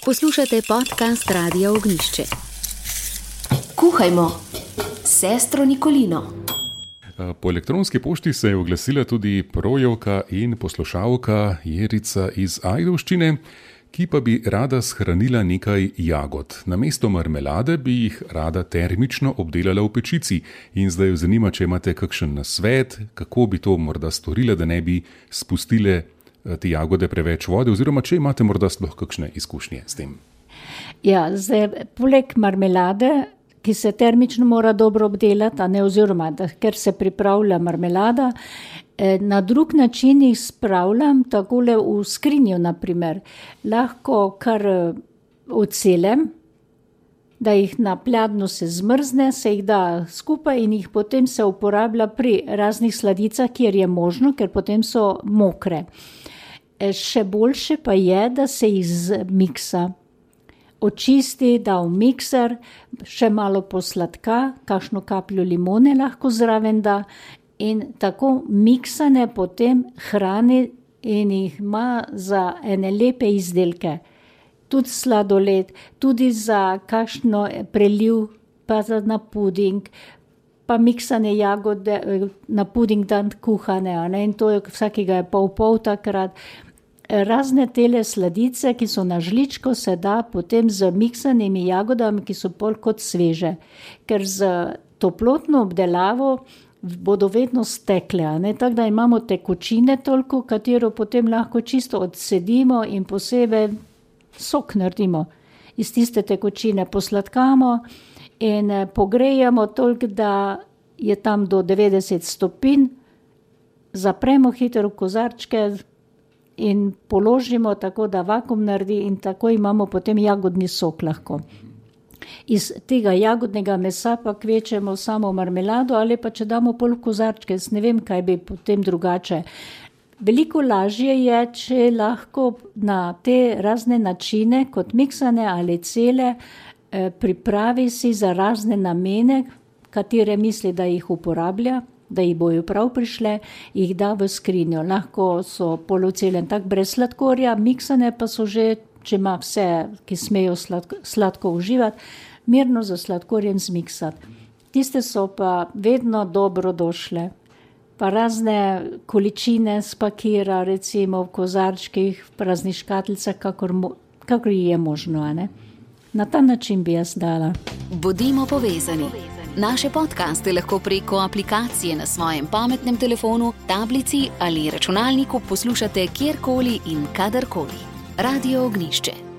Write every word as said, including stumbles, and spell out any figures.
Poslušate podcast Radia Ognišče. Kuhajmo s sestro Nikolino. Po elektronski pošti se je oglasila tudi brojevka in poslušalka Jerica iz Ajdovščine, ki pa bi rada shranila nekaj jagod. Namesto marmelade bi jih rada termično obdelala v pečici in zdaj jo zanima, če imate kakšen nasvet, kako bi to morda storila, da ne bi spustile te jagode preveč vode, oziroma če imate morda sploh kakšne izkušnje s tem. Ja, zdaj, poleg marmelade, ki se termično mora dobro obdelati, a ne oziroma, da, ker se pripravlja marmelada, na drug način jih spravljam takole v skrinjo, naprimer. Lahko kar odselem, da jih na pladnju se zmrzne, se jih da skupaj in jih potem se uporablja pri raznih sladicah, kjer je možno, ker potem so mokre. Še boljše pa je, da se jih zmiksa. Očisti, da v mikser, še malo posladka, kakšno kapljo limone lahko zraven da in tako miksane potem hrani in jih ima za ene lepe izdelke. Tudi sladoled, tudi za kakšno preliv, pa za na puding, pa miksane jagode na puding dan kuhane, a ne, in to je vsakega je pol pol takrat. Razne tele sladice, ki so na žličko, se da potem z miksanimi jagodami, ki so pol kot sveže. Ker z toplotno obdelavo bodo vedno stekle, a ne, tako da imamo tekočine toliko, katero potem lahko čisto odsedimo in posebej sok naredimo. Iz tiste tekočine posladkamo in pogrejamo toliko, da je tam do devetdeset stopinj, zapremo hitro v kozarčke in položimo tako, da vakuum naredi in tako imamo potem jagodni sok lahko. Iz tega jagodnega mesa pa kvečemo samo marmelado ali pa če damo pol v kozarčke, ne vem, kaj bi potem drugače. Veliko lažje je, če lahko na te razne načine, kot miksane ali cele, pripravi si za razne namene, katere misli, da jih uporablja, da jih bojo prav prišle, jih da v skrinjo. Lahko so polocelen tak brez sladkorja, miksane pa so že, če ima vse, ki smejo sladko, sladko uživati, mirno za sladkorjem zmiksati. Tiste so pa vedno dobro došle. Pa razne količine spakira, recimo v kozarčkih, v raznih škatlicah, kakor, kakor je možno, a ne. Na ta način bi jaz dala. Bodimo povezani. Naše podcaste lahko preko aplikacije na svojem pametnem telefonu, tablici ali računalniku poslušate kjerkoli in kadarkoli. Radio Ognišče.